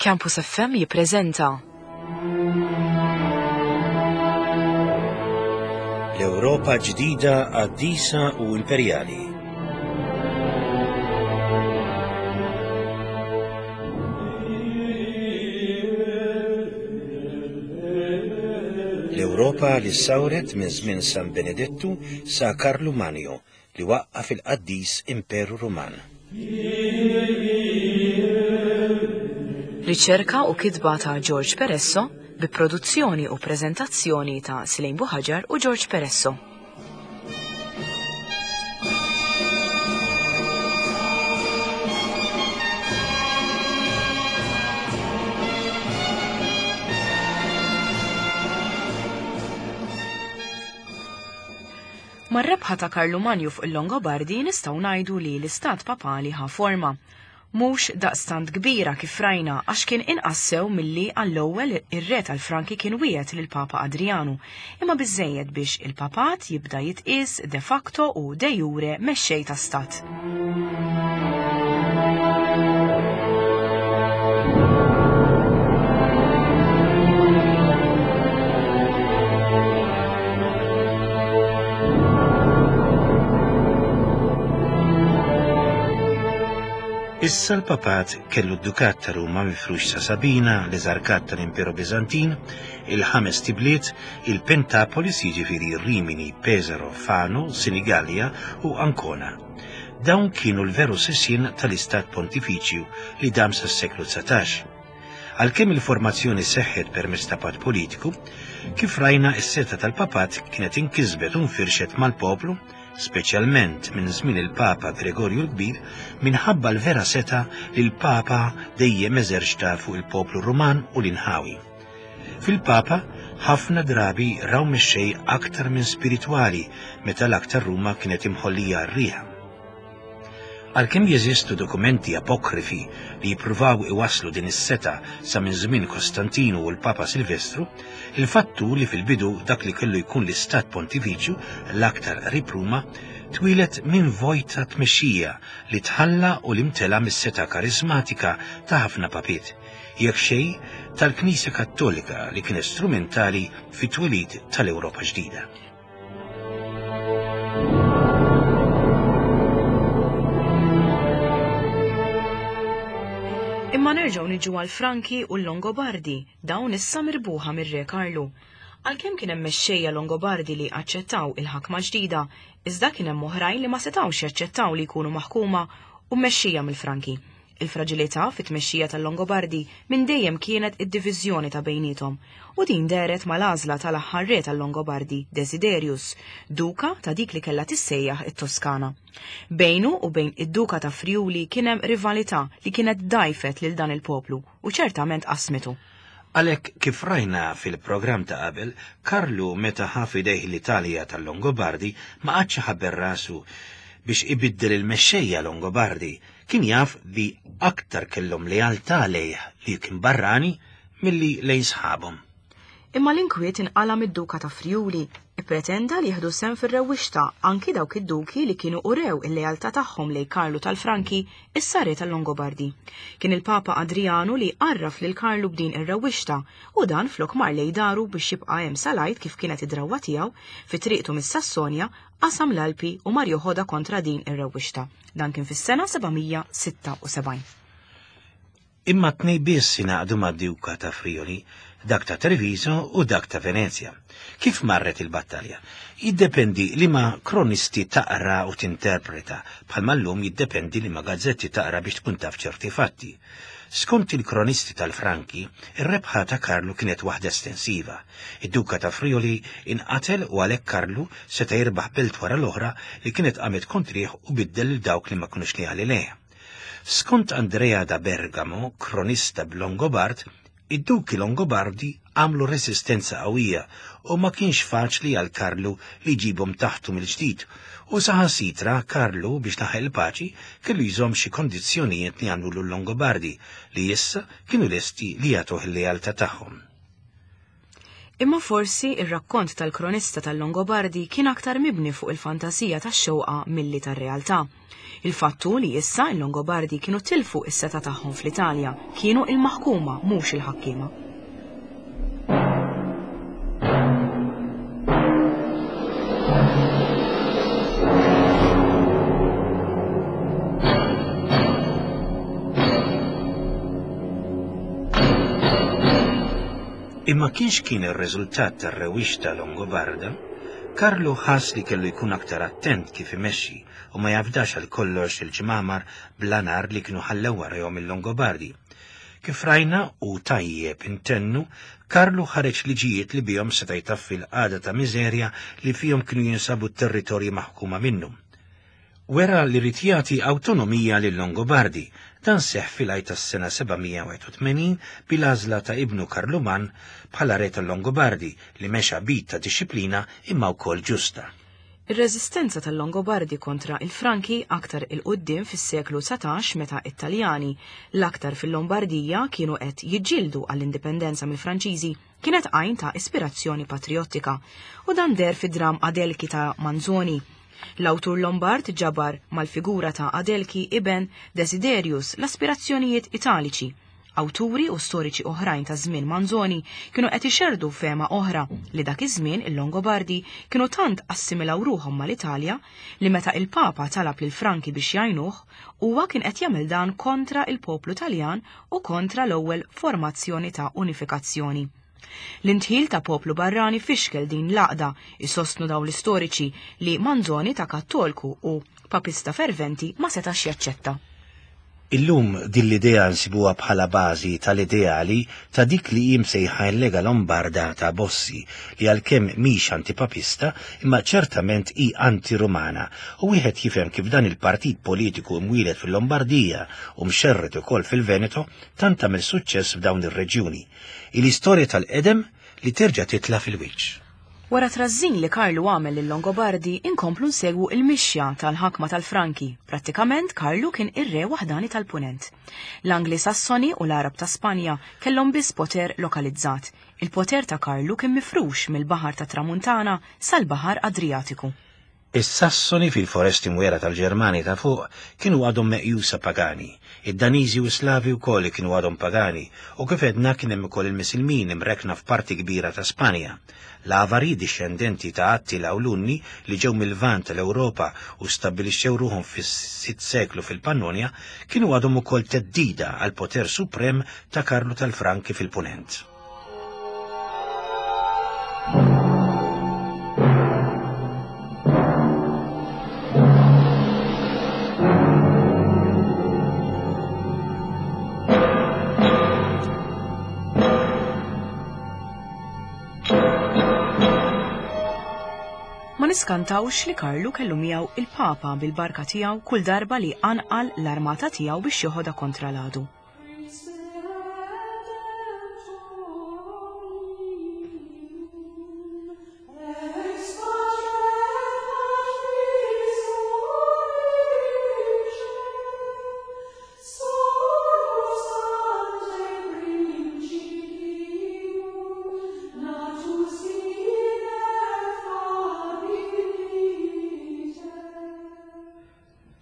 Campus FM jippreżenta. L-Ewropa ġdida qaddisa u imperjali. L-Ewropa li ssawret minn żmien San Benedettu sa Karlu Manju li waqqaf il-qaddis Imperu Ruman. Riċerka u kitba ta' George Peresso bi produzzjoni u preżentazzjoni ta' Slejn Buħaġar u George Peresso. Mar-rebħa ta' Karlu Manju fuq il-Longobardi nistgħu ngħidu li l-istat papali ħa forma. Mhux daqstant kbira kif rajna għax kien inqas sew milli għall-ewwel ir-re tal-Franki kien wiegħed lill-Papa Adrijanu, imma biżżejjed biex il-papat jibda jitqies de facto u de jure mexxej ta' stat. Issa l-papat kellu d-dukat ta' Ruma mifrux sa' Sabina, l-eżarkat tal-Imperu Bizantin, il-ħames tibliet, il-Pentapolis jiġifieri Rimini, Pesaro, Fano, Sinigallia u Ancona. Dawn kienu l-veru sisien tal-Istat Pontifiċju li dam sas-seklu 19. Għalkemm il-formazzjoni seħħet permezz ta' patt politiku, kif rajna s-setgħa tal-papat kienet inkisbet u nfirxet mal-poplu, speċjalment minn żmien il-Papa Gregorju l-Kbir, minħabba l-vera setgħa li l-Papa dejjem eżerċta fuq il-poplu Ruman u l-inħawi. Fil-Papa ħafna drabi raw mexxej aktar minn spiritwali meta l-aktar Ruma kienet imħollija għar-riħ. Għalkemm jeżistu dokumenti apokrifi li jippruvaw iwasslu din is-setgħa sa minn żmien Kostantinu u l-Papa Silvestru, il-fatt hu li fil-bidu dak li kellu jkun l-Istat Pontifiċju l-aktar qrib Ruma twieled minn vojt ta' tmexxija li tħalla u li mtela mis-setgħa kariżmatika ta' ħafna papiet, jekk xejn, tal-Knisja Kattolika li kienet strumentali fit-twelid tal-Ewropa ġdida. Imma nerġgħu niġu għal Franki u l-Longobardi, dawn issa mirbuħa mir-Re Karlu. Għalkemm kien hemm mexxejja Longobardi li aċċettaw il-ħakma ġdida, iżda kien hemm oħrajn li ma setgħux jaċċettaw li jkunu maħkuma u mmexxija mill-Franki. Il-fraġilità fit-tmexxija tal-Longobardi minn dejjem kienet id-diviżjoni ta' bejniethom, u din dehret mal-għażla tal-aħħar re tal-Longobardi, Desiderius, duka ta' dik li kellha tissejjaħ it-Toskana. Bejnu u bejn id-duka ta' Friuli kien hemm rivalità li kienet dgħajfet lil dan il-poplu u ċertament qasmitu. Għalhekk kif rajna fil-programm ta' qabel, Karlu meta ħa f'idejh l-Italja tal-Longobardi ma qagħadx iħabbel rasu biex ibiddel il-mexxejja Longobardi, Kien jaf li aktar kellhom lealtà lejh li kien barrani milli lejn sħabhom. Imma l-inkwiet inqala' mid-Duka ta' Friuli. Ippretenda li jieħdu sehem fir-rewwixta anki dawk id-duki li kienu urew il-lealtà tagħhom lejn Karlu tal-Franki, issa re tal-Longobardi. Kien il-Papa Adrijanu li għarraf lil Karlu b'din ir-rewwixta u dan flok mar lejn daru biex jibqa' hemm sal-Għid kif kienet id-drawwa tiegħu, fi triqtu mis-Sassonja, qasam l-Alpi u mar joħodha kontra din ir-rewwixta. Dan kien fis-sena 776. Imma tnej biss ingħaqdu mad-Duka ta' Friuli, dak ta' Treviso u dak ta' Venezja. Kif marret il-battalja? Jiddependi liema kronisti taqra u tinterpreta, bħalma llum jiddependi liema gazzetti taqra biex tkun taf ċerti fatti. Skont il-kronisti tal-Franki, ir-rebħa ta' Karlu kienet waħda estensiva. Id-Duka ta' Friuli inqatel u għalhekk Karlu seta' jirbaħ belt wara l-oħra li kienet qamet kontrih u biddel lil dawk li ma kinux leali lejh. Skont Andrea da Bergamo, kronista b'Longobard, id-duki Longobardi għamlu resistenza qawwija u ma kienx faċli għal Karlu li jġibhom taħtu mill-ġdid u saħansitra Karlu biex laħaq il-paċi kellu jżomm xi kondizzjonijiet li għamlulu l-Longobardi li issa kienu lesti li jagħtuh il-lealtà tagħhom. Imma forsi ir-rakkont tal-kronista tal-Longobardi kien aktar mibni fuq il-fantasija tax-xewqa milli tar-realtà. Il-fatt hu li issa l-Longobardi kienu tilfu s-setgħa tagħhom fl-Italja, kienu il-maħkuma mhux il-ħakkiema. Imma kienx kien ir-riżultat tar-rewwixta Longobarda, Karlu ħass li kellu jkun aktar attent kif imexxi u ma jafdax għal kollox il-ġmamar bla nar li kienu ħallew warajhom il-Longobardi. Kif rajna u tajjeb intennu, Karlu ħareġ liġijiet li bihom seta' jtaffi l-qagħda ta' miżerja li fihom kienu jinsabu t-territorji maħkuma minnu. Wera li ried jagħti awtonomija lil-Longobardi. Dan seħħ fil-Għid tas-sena 781 bil-għażla ta' ibnu Karluman bħala re tal-Longobardi li mexa b'id ta' dixxiplina imma wkoll ġusta. Ir-reżistenza tal-Longobardi kontra il-Franki aktar 'il quddiem fis-seklu 19 meta t-Taljani, l-aktar fil-Lombardija, kienu qed jiġġieldu għall-indipendenza mill-Franċiżi, kienet għajn ta' ispirazzjoni patrijottika, u dan deher fid-dramm Adelchi ta' Manzoni. L-awtur Lombard ġabar mal-figura ta' Adelchi iben Desiderius l-aspirazzjonijiet Italiċi. Awturi u storiċi oħrajn ta' żmien Manzoni kienu qed ixerrdu fehma oħra li dak iż-żmien il-Longobardi kienu tant assimilaw ruħhom mal-Italja li meta il-Papa talab lill-Franki biex jgħinuh, huwa kien qed jagħmel dan kontra il-poplu Taljan u kontra l-ewwel formazzjoni ta' unifikazzjoni. L-indħil ta' poplu barrani fixkel din l-għaqda, isostnu dawn l-istoriċi li Manzoni ta' Kattolku u papista ferventi ma setax jaċċetta. Illum din l-idea nsibuha bħala bażi tal-ideali ta' dik li hi msejħa l-Lega Lombarda ta' Bossi li għalkemm mhix antipapista imma ċertament hi anti-Rumana u wieħed jifhem kif dan il-partit politiku mwieled fil-Lombardija u mxerred ukoll fil-Veneto tant għamel suċċess f'dawn ir-reġjuni. Hi l-istorja tal-qedem li terġa' titla' fil-wiċċ. Wara trażżin li Karlu għamel lil-Longobardi, inkomplu nsegwu il-mixja tal-ħakma tal-Franki. Prattikament Karlu kien ir-re waħdani tal-Punent. L-Angli Sassoni u l-Għarab ta' Spanja kellhom biss poter lokalizzat. Il-poter ta' Karlu kien mifrux mill-Baħar tat-Tramuntana sal-Baħar Adrijatiku. Is-Sassoni fil-foresti mwiegħra tal-Ġermanja ta' fuq kienu għadhom meqjusa pagani. Id-Daniżi u s-Slavi wkoll kienu għadhom pagani, u kif għedna kien hemm ukoll il-Misilmin imrekkna f'parti kbira ta' Spanja. L-Avari, dixxendenti ta' Attila u l-Unni li ġew mil-Lvant tal-Ewropa u stabbilixxew ruħhom fis-sitt seklu fil-Pannonja, kienu għadhom ukoll theddida għall-poter suprem ta' Karlu tal-Franki fil-Punent. Ma niskantawx li Karlu kellu miegħu il-Papa bil-barka tiegħu kull darba li qanqal l-armata tiegħu biex joħodha kontra l-għadu.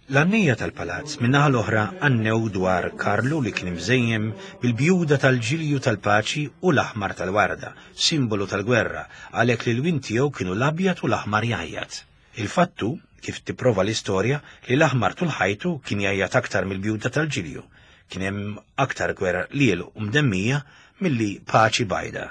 L-għannejja tal-palazz min-naħa l-oħra għannew dwar Karlu li kien imżejjem bil-bjuda tal-ġilju tal-paċi u l-aħmar tal-warda, simbolu tal-gwerra, għalhekk li l-lwien tiegħu kienu l-abjad u l-aħmar jgħajjat. Il-fatt hu, kif tipprova l-istorja, li l-aħmar tul ħajtu kien jgħajjat aktar mill-bjuda tal-ġilju. Kien hemm aktar gwerra qliel u mdemmija milli paċi bajda.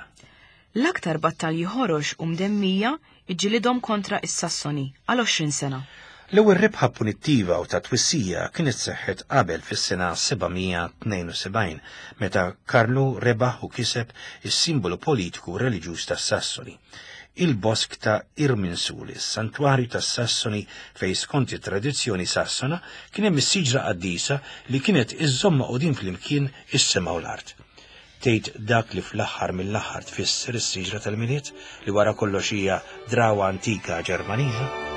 L-aktar battalji ħorox u mdemmija ġġilidhom kontra s-Sassoni għal 20 sena. L-ewwel rebħa punittiva u ta' twissija kienet seħħet qabel fis-sena 772 meta Karlu rebaħ u kiseb is-simbolu politiku u reliġjuż tas-Sassoni, il-bosk ta' Irminsul, is-santwarju tas-Sassoni fejn skont it-tradizzjoni Sassona kien hemm is-siġra qaddisa li kienet iżżomm magħqudin flimkien is-sema u l-art. Tgħid dak li fl-aħħar mill-aħħar tfisser is-siġra tal-Milied, li wara kollox hija drawwa antika Ġermaniża?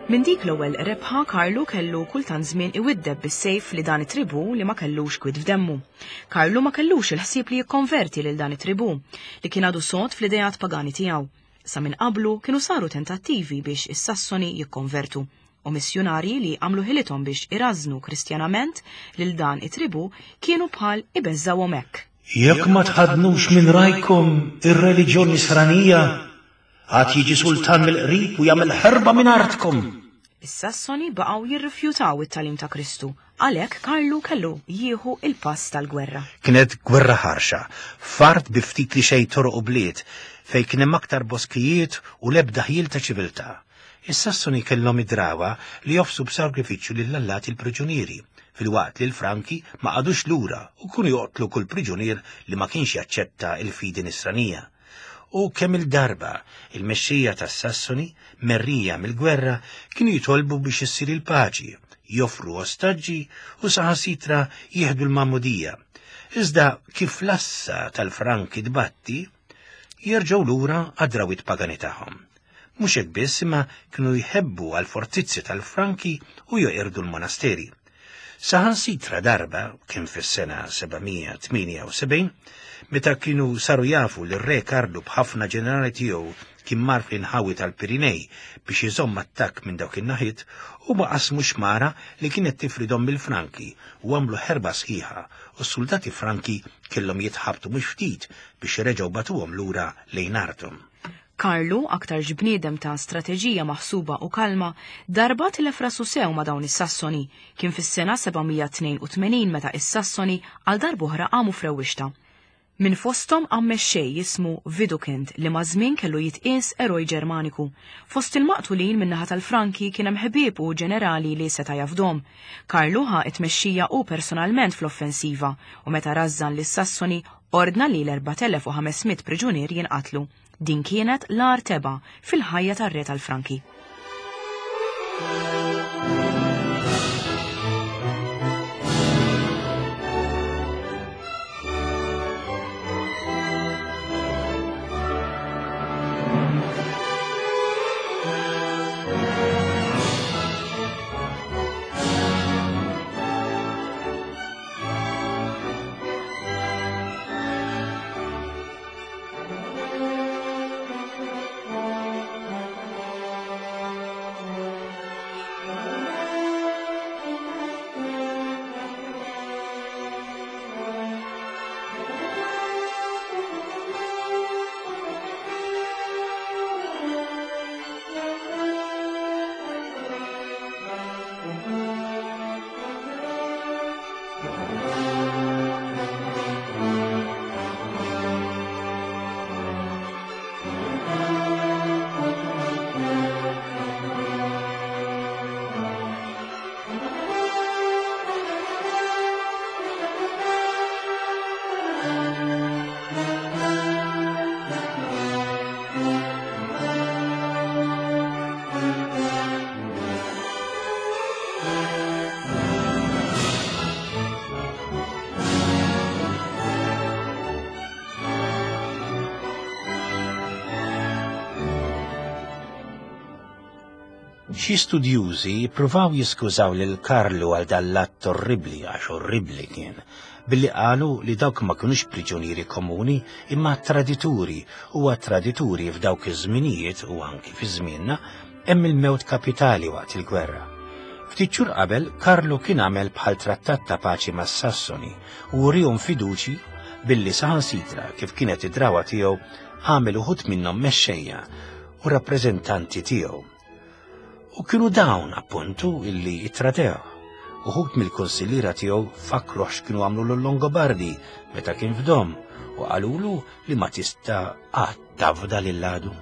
Minn dik l-ewwel rebħa Karlu kellu kultant żmien iwiddeb bis-sejf li dan it-tribù li ma kellux kwid f'demmu. Karlu ma kellux il-ħsieb li jikkonverti lil dan it-tribù, li kien għadu sod fl-ideat pagani tiegħu. Sa minn qablu kienu saru tentattivi biex is-Sassoni jikkonvertu, u missjunarji li għamlu ħilithom biex irażżnu Kristjanament lil dan it-tribù kienu bħal ibeżżgħuhom hekk. Jekk ma tħaddnux minn rajkom ir-reliġjon Nisranija, Għad jiġi sultan mill-qrib u jagħmel ħerba minn artkom. Is-Sassoni baqgħu jirrifjutaw it-tagħlim ta' Kristu, għalhekk Karlu kellu jieħu l-pass tal-gwerra. Kienet gwerra ħarxa, f'art bi ftit li xejn toroq u bliet, fejn kien hemm aktar boskijiet u l-ebda ħjiel ta' ċiviltà. Is-Sassoni kellhom id-drawwa li joffsu b'sagrifiċċju lill-allati l-priġunieri, filwaqt li l-Franki ma qagħdux lura u kienu joqtlu kull priġunier li ma kienx jaċċetta l-fidi Nisranija. U kemm-il darba il-mexxejja tas-Sassoni, merrija mill-gwerra, kienu jitolbu biex issir il-paċi, joffru ostaġġi u saħansitra jieħdu l-magħmudija. Iżda kif l-assa tal-Franki tbatti, jerġgħu lura għad-drawwiet pagani tagħhom. Mhux hekk biss imma kienu jħebbu għall-fortizzi tal-Franki u joqirdu l-monasteri. Saħansitra darba, kien fis-sena 778, meta kienu saru jafu li r-Re Karlu b'ħafna ġenerali tiegħu kien mar fl-inħawi tal-Pirinej biex iżomm attakk minn dawk in-naħiet, huma qasmu xmara li kienet tifridhom mill-Franki u għamlu ħerba sħiħa u s-suldati Franki kellhom jitħabtu mhux ftit biex reġgħu bagħtuhom lura lejn arthom. Karlu, aktarx bniedem ta' strateġija maħsuba u kalma, darba tilef rasu sew ma' dawn is-Sassoni. Kien fis-sena 782 meta is-Sassoni għal darb'oħra qamu f'rewwixta. Minn fosthom qam mexxej jismu Widukind li maż-żmien kellu jitqies eroj Ġermaniku. Fost il-maqtulin min-naħa tal-Franki kien hemm ħbieb u ġenerali li seta' jafdhom. Karlu ħa t-tmexxija hu personalment fl-offensiva u meta rażżan lis-Sassoni Ordna li l-4,500 priġunier jinqatlu. Din kienet l-agħar tebgħa fil-ħajja tar-re tal-Franki. Xi studjużi jippruvaw jiskużaw lil Karlu għal dan l-att orribbli għax orribbli kien, billi qalu li dawk ma kinux priġunieri komuni imma tradituri u għat-tradituri f'dawk iż-żminijiet u anki fi żmienna hemm il-mewt kapitali waqt il-gwerra. Ftit xhur qabel, Karlu kien għamel bħal trattat ta' paċi mas-Sassoni u wriehom fiduċi billi saħansitra kif kienet id-drawa tiegħu għamel uħud minnhom mexxejja u rappreżentanti tiegħu. U kienu dawn appuntu illi ittradew. Uħud mill-kunsilliera tiegħu fakruh x'kienu għamlu l-Longobardi meta kien f'dom u qalulu li ma tista' qatt tafda lil għadu.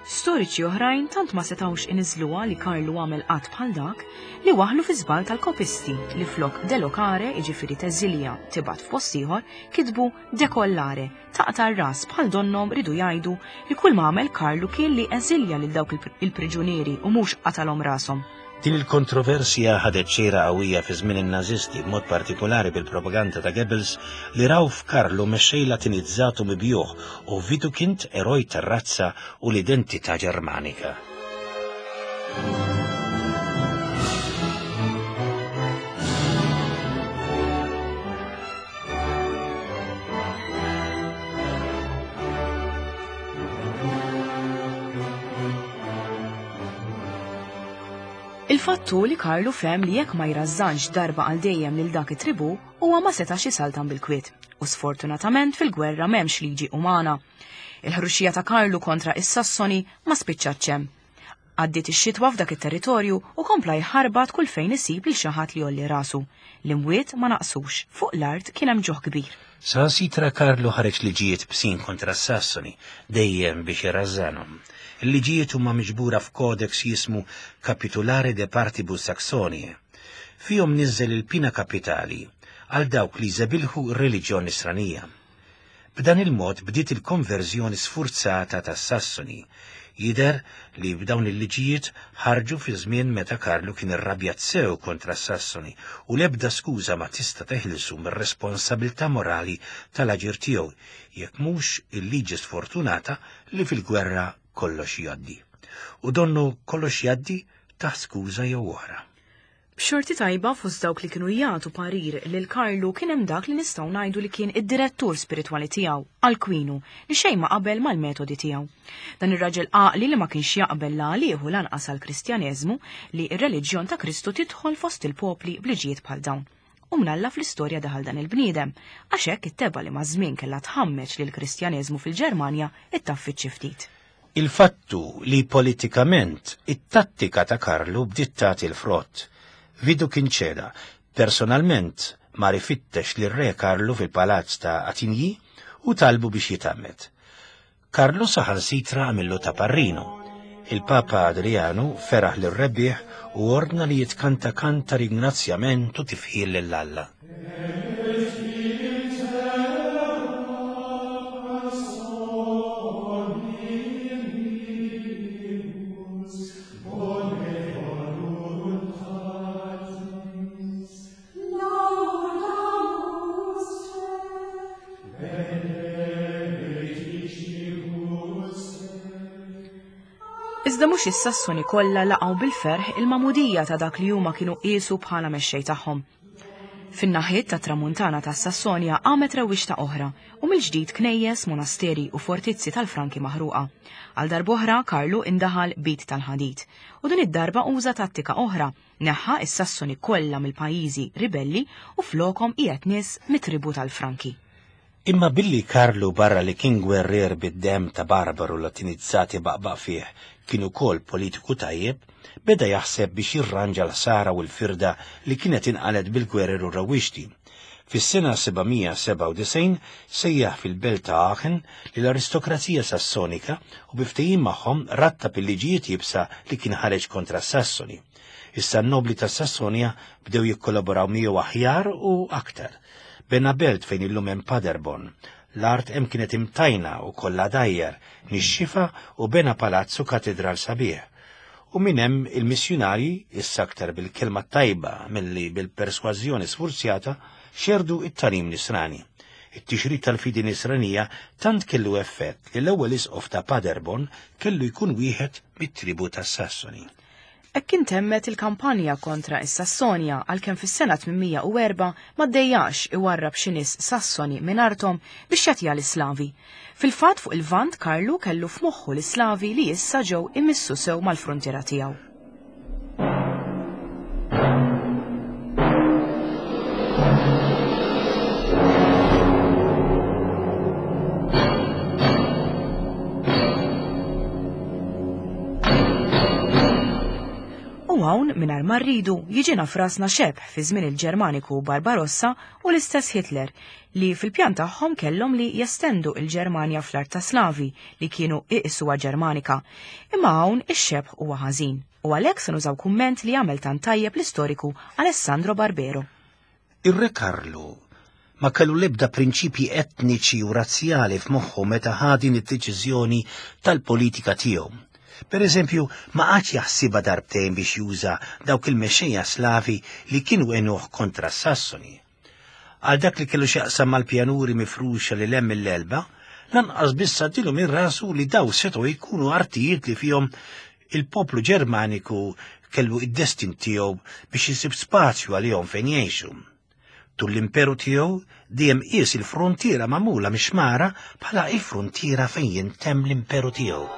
Storiċi oħrajn tant ma setgħux iniżżluha li Karlu għamel att bħal dak li waħħlu fi żball tal-kopisti li flok delocare, jiġifieri teżilja, tibgħat f'post ieħor, kitbu decollare, taqta' r-ras bħal donnhom riedu jgħidu li kull ma għamel Karlu kien li eżilja lil dawk il-priġunieri u mhux qatalhom rashom. Din il-kontroversja ħadet xejra qawwija fi żmien in-Nażisti, b'mod partikolari bil-propaganda ta' Goebbels li raw f'Karlu mexxej Latinizzat u mibjugħ u Widukind eroj tar-razza u l-identità Ġermanika. Il-fatt hu li Karlu fehem li jekk ma jrażżanx darba għal dejjem lil dak it-tribù, huwa ma setax isaltan bil-kwiet. U sfortunatament fil-gwerra m'hemmx liġi umana. Il-ħruxija ta' Karlu kontra is-Sassoni ma spiċċatx hemm. Għaddiet ix-xitwa f'dak it-territorju u kompla jħarbat kull fejn isib lil xi ħadd li jgħolli rasu. L-imwiet ma naqsux, fuq l-art kien hemm ġuħ kbir. Saħansitra Karlu ħareġ liġijiet bsin kontra s-Sassoni, dejjem biex irażżanhom. Il-liġijiet huma miġbura f'kodeks jismu Capitulare de Partibus Saxoniae. Fihom niżżel il-pina kapitali għal dawk li jżebilħu r-reliġjon Nisranija. B'dan il-mod bdiet il-konverżjoni sfurzata tas-Sassoni. Jidher li b'dawn il-liġijiet ħarġu fi żmien meta Karlu kien irrabjat sew kontra s-Sassoni u l-ebda skuża ma tista' teħilsu mir-responsabilità morali tal-aġir tiegħu jekk mhux il-liġi sfortunata li fil-gwerra kollox jgħaddi. U donnu kollox jgħaddi taħt skuża jew oħra. B'xorti tajba fost dawk li kienu jagħtu parir lil Karlu kien hemm dak li nistgħu ngħidu li kien id-direttur spiritwali tiegħu, Alkwinu, li xejn ma qabel mal-metodi tiegħu. Dan ir-raġel għaqli li ma kienx jaqbel la għalih u lanqas għall-Kristjaneżmu li r-reliġjon ta' Kristu tidħol fost il-popli b'liġijiet bħal dawn. U mnalla fl-istorja daħal dan il-bniedem, għax hekk it-tebgħa li maż-żmien kellha tħammeġ lill-Kristjaneżmu fil-Ġermanja ittaffiet xi ftit. Il-fatt hu li politikament it-tattika ta' Karlu bdiet tagħti l-frott. Vidu kien ċeda. Personalment mar ifittex lir-Re Karlu fil-palazz ta' Attigny u talbu biex jitgħammed. Karlu saħansitra għamillu ta' parrinu. Il-Papa Adrianu feraħ lir-rebbieħ u ordna li jitkanta kant ta' ringrazzjament u tifħir lil Alla. Iżda mhux is-Sassoni kollha laqgħu bil-ferħ il-magħmudija ta' dak li huma kienu qiesu bħala mexxej tagħhom. Fin-naħiet tat-Tramuntana tas-Sassonja qamet rewwixta oħra u mill-ġdid knejjes, monasteri u fortizzi tal-Franki maħruqa. Għal darb'oħra Karlu indaħal b'id tal-ħadid. U din id-darba uża tattika oħra, neħħa s-Sassoni kollha mill-pajjiżi ribelli u flokhom qiegħed nies mit-tribù tal-Franki. Imma billi Karlu barra li kien gwerrier bid-demm ta' barbaru Latinizzat ibaqbaq fih kien ukoll politiku tajjeb, beda jaħseb biex jirranġa l-ħsara u l-firda li kienet inqalgħet bil-gwerer u r-rewwixti. Fis-sena 797 sejjaħ fil-belt ta' Aachen lill-aristokrazija Sassonika u bi ftehim magħhom rattab il-liġijiet iebsa li kien ħareġ kontra s-Sassoni. Issa n-nobbli tas-Sassonja bdew jikkollaboraw miegħu aħjar u aktar. Bena belt fejn illum hemm Paderborn. L-art hemm kienet imtajna u kollha dajjar, nixxifa u bena palazz u katidral sabiħ. U minn hemm il-missjunarji, issa aktar bil-kelma t-tajba milli bil-persważjoni sfurzjata, xerrdu t-tagħlim Nisrani. It-tixrid tal-fidi Nisranija tant kellu effett li l-ewwel isqof ta' Paderborn kellu jkun wieħed mit-tribù tas-Sassoni. Hekk intemmet il-kampanja kontra s-Sassonja għalkemm fis-sena 804 ma ddejjaqx iwarrab xi nies Sassoni minn arthom biex jagħtiha lis-Slavi. Fil-fatt fuq il-Lvant Karlu kellu f'moħħu lis-Slavi li issa ġew imissu sew mal-fruntiera tiegħu. U hawn, mingħajr ma rridu, jiġina f'rasna xebh fi żmien il-Ġermaniku Barbarossa u l-istess Hitler, li fil-pjan tagħhom kellhom li jestendu il-Ġermanja fl-art ta' Slavi li kienu iqisuha Ġermanika. Imma hawn ix-xebh huwa ħażin, u għalhekk se nużaw kumment li għamel tant tajjeb l-istoriku Alessandro Barbero. Ir-Re Karlu ma kellu l-ebda prinċipji etniċi u razzjali f'moħħu meta ħa din id-deċiżjoni tal-politika tiegħu. Per eżempju, ma qagħadx jaħsibha darbtejn biex juża dawk il-mexxejja Slavi li kienu għenuh kontra s-Sassoni. Għal dak li kellu x'jaqsam mal-pjanuri mifruxa lil hemm mill-Elba, lanqas biss għaddielu minn rasu li daw setgħu jkunu artijiet li fihom il-poplu Ġermaniku kellu id-destin tiegħu biex isib spazju għalihom fejn jgħixu. Tul l-imperu tiegħu dejjem qies il-frontiera magħmula mix-xmara bħala il-frontiera fejn jintemm l-imperu tiegħu.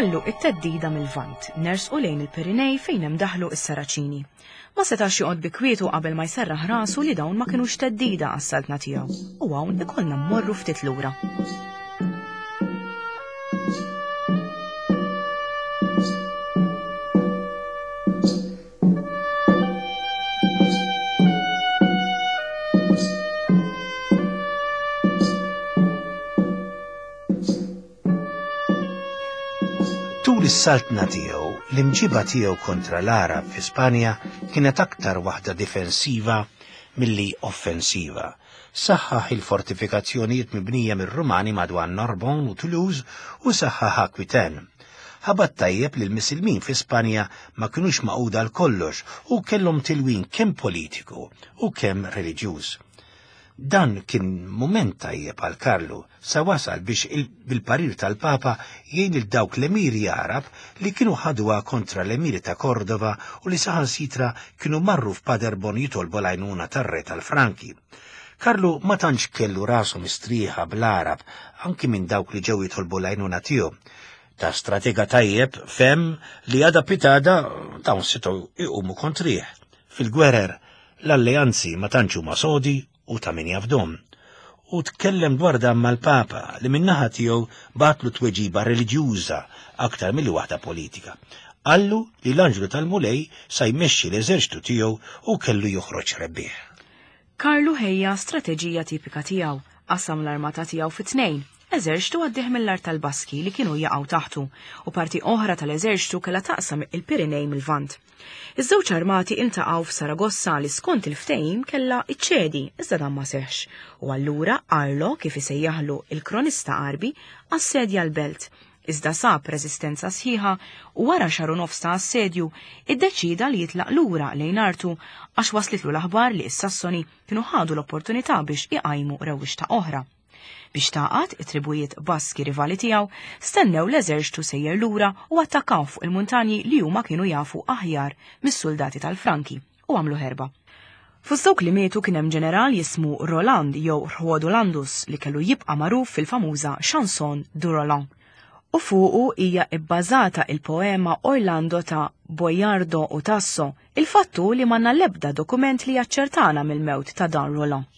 Inħallu it-theddida mil-Lvant, nersqu lejn il-Pirinej fejn hemm daħlu s-Saraċini. Ma setax joqgħod bi kwietu qabel ma jserraħ rasu li dawn ma kinux theddida għas-saltna tiegħu, u hawn ikollna mmorru ftit lura. Tul is-saltna tiegħu, l-imġiba tiegħu kontra l-Għarab fi Spanja kienet aktar waħda difensiva milli offensiva. Saħħaħ il-fortifikazzjonijiet mibnija mir-Rumani madwar Narbonne u Toulouse u saħħaħ Aquitaine. Ħabat tajjeb li l-Misilmin fi Spanja ma kinux magħquda għal kollox u kellhom tilwin kemm politiku u kemm reliġjuż. Dan kien mument tajjeb għal Karlu sa wasal biex bil-parir tal-Papa jgħin lil dawk l-emiri Għarab li kienu ħaduha kontra l-emiri ta' Kordova u li saħansitra kienu marru f'Paderborn jitolbu l-għajnuna tar-re tal-Franki. Karlu ma tantx kellu rasu mistrieħa bl-Għarab anki minn dawk li ġew jitolbu l-għajnuna tiegħu. Ta' stratega tajjeb fehem li għada pitada dawn setgħu jqumu kontrih. Fil-gwerer L-alleanzi ma tantx huma sodi u ta' min jafdhom. U tkellem dwar dan mal-Papa li min-naħa tiegħu bagħatlu tweġiba reliġjuża aktar milli waħda politika. Qallu li l-anġlu tal-Mulej sa jmexxi l-eżerċtu tiegħu u kellu joħroġ rebbieħ. Karlu ħejja strateġija tipika tiegħu, qasam l-armata tiegħu fi tnejn, eżerċtu għaddih mill-art tal-Baski li kienu jaqgħu taħtu u parti oħra tal-eżerċtu kellha taqsam il-Pirinej mil-Lvant. Iż-żewġ armati iltaqgħu f'Saragossa li skont il-ftehim kellha ċċedi iżda dan ma seħħx u allura Arlo, kif isejjaħlu il-kronista Għarbi, assedja l-belt. Iżda sab reżistenza sħiħa u wara xahar u nofs ta' assedju iddeċieda li jitlaq lura lejn artu għax waslitlu l-aħbar li s-Sassoni kienu ħadu l-opportunità biex iqajmu rewwixta oħra. Biex tagħqad, it-tribujiet Baski rivali tiegħu stennew l-eżerċtu sejjer lura u attakkaw fuq il-muntanji li huma kienu jafu aħjar mis-suldati tal-Franki u għamlu ħerba. Fost dawk li mietu kien hemm ġeneral jismu Roland jew Rhuodolandus li kellu jibqa' magħruf fil-famuża Chanson du Roland. U fuqu hija bbażata il-poema Orlando ta' Boiardo u Tasso. Il-fatt hu li m'għandna l-ebda dokument li jaċċertana mill-mewt ta' dan Roland.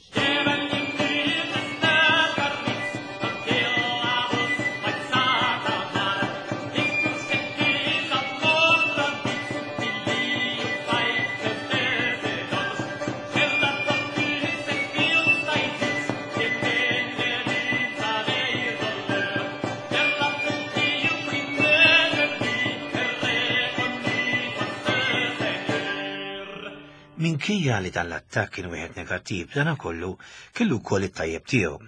Minkejja li dan l-attakk kien wieħed negattiv, b'danakollu kellu wkoll it-tajjeb tiegħu.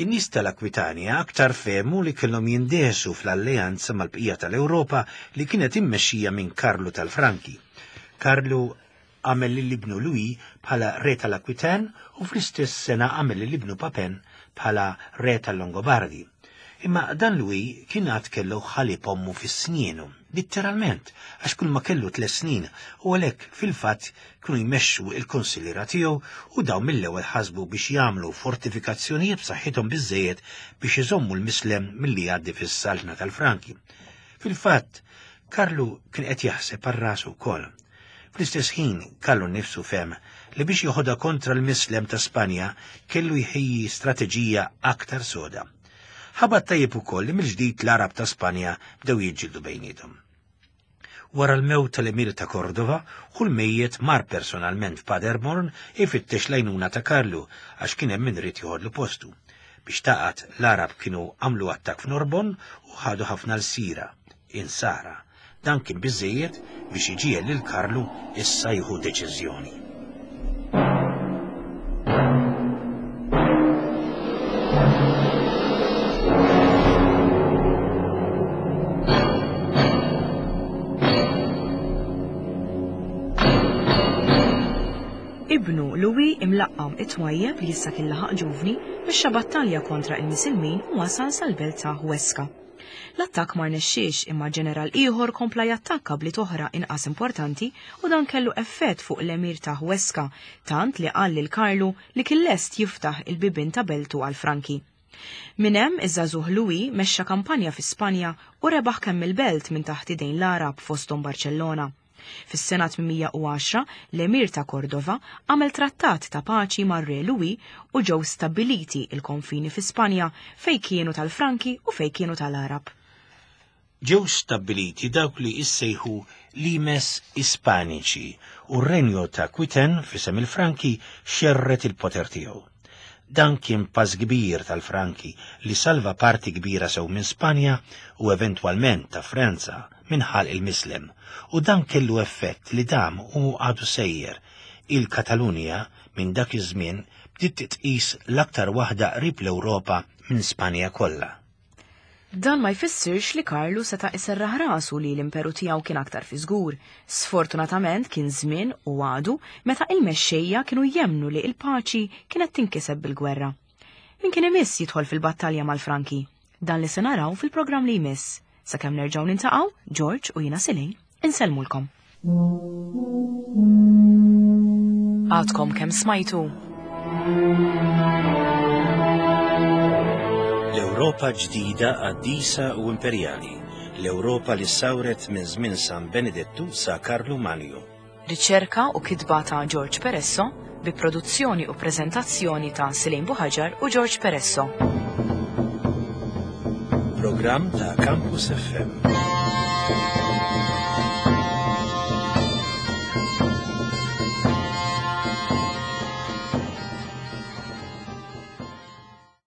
In-nies tal-Akwitanja aktar fehmu li kellhom jindehsu fl-alleanza mal-bqija tal-Ewropa li kienet immexxija minn Karlu tal-Franki. Karlu għamel lil ibnu Louis bħala re tal-Aquitaine u fl-istess sena għamel lil ibnu Papin bħala re tal-Longobardi. Imma dan Louis kien għad kellu ħalib ommu fi snienu, litteralment, għax kull ma kellu tles snin, u għalhekk fil-fatt kienu jmexxu il-kunsilliera tiegħu u dawn mill-ewwel ħasbu biex jagħmlu fortifikazzjonijiet b'saħħithom biżżejjed biex iżommu l-Mislem milli jgħaddi fis-saltna tal-Franki. Fil-fatt, Karlu kien qed jaħseb għal rasu wkoll. Fl-istess ħin, Karlu nnifsu fehem li biex joħodha kontra l-Mislem ta' Spanja kellu jħejji strateġija aktar soda. Ħabat tajjeb ukoll li mill-ġdid l-Għarab ta' Spanja bdew jiġġieldu bejniethom. Wara l-mewt tal-Emir ta' Kordova, hu l-mejjet mar personalment f'Paderborn ifittex l-għajnuna ta' Karlu għax kien hemm min ried joħodlu postu. Biex taqgħad, l-Għarab kienu għamlu attakk f'Norbonne u ħadu ħafna lsira, insara. Dan kien biżżejjed biex iġiegħel lil Karlu issa jieħu deċiżjoni. Ibnu Louis imlaqqam it-twajjeb li issa kien laħaq ġuvni mexxa battalja kontra il-Misilmin u wasal sal-belt ta' Huesca. L-attakk ma rnexxiex imma ġeneral ieħor kompla jattakka bliet oħra inqas importanti u dan kellu effett fuq l-Emir ta' Huesca tant li qal lil Karlu li kien lest jiftaħ il-bibien ta' beltu għall-Franki. Minn hemm iż-żagħżugħ Louis mexxa kampanja fi Spanja u rebaħ kemm il-belt minn taħt idejn l-Għarab fosthom Barċellona. Fis-sena 810 l-Emir ta' Kordova għamel trattat ta' paċi mar-Re Louis u ġew stabbiliti l-konfini fi Spanja fejn kienu tal-Franki u fejn kienu tal-Għarab. Ġew stabbiliti dawk li issejħu limes Ispaniċi u r-Renju ta' Aquitaine f'isem il-Franki xerred il-poter tiegħu. Dan kien pass kbir tal-Franki li salva parti kbira sew minn Spanja u eventwalment ta' Franza minn ħalq il-Mislem u dan kellu effett li dam u għadu sejjer. Il-Katalunja minn dak iż-żmien bdiet titqis l-aktar waħda qrib l-Ewropa minn Spanja kollha. Dan ma jfissirx li Karlu seta' iserraħ rasu li l-imperu tiegħu kien aktar fi żgur. Sfortunatament kien żmien u għadu meta il-mexxejja kienu jemmnu li l-paċi kienet tinkiseb bil-gwerra. Min kien imiss jidħol fil-battalja mal-Franki? Dan li se naraw fil-programm li jmiss. Sakemm nerġgħu nintaqgħu, George u jiena Silej, insellmulkom. Għadkom kemm smajtu? L-Ewropa ġdida qaddisa u imperjali, l-Ewropa li sawret minn żmien San Benedettu sa Karlu Manju. Riċerka u kitba ta' George Peresso bi produzzjoni u preżentazzjoni ta' Silejn Buħaġar u George Peresso. Programm ta' Campus FM.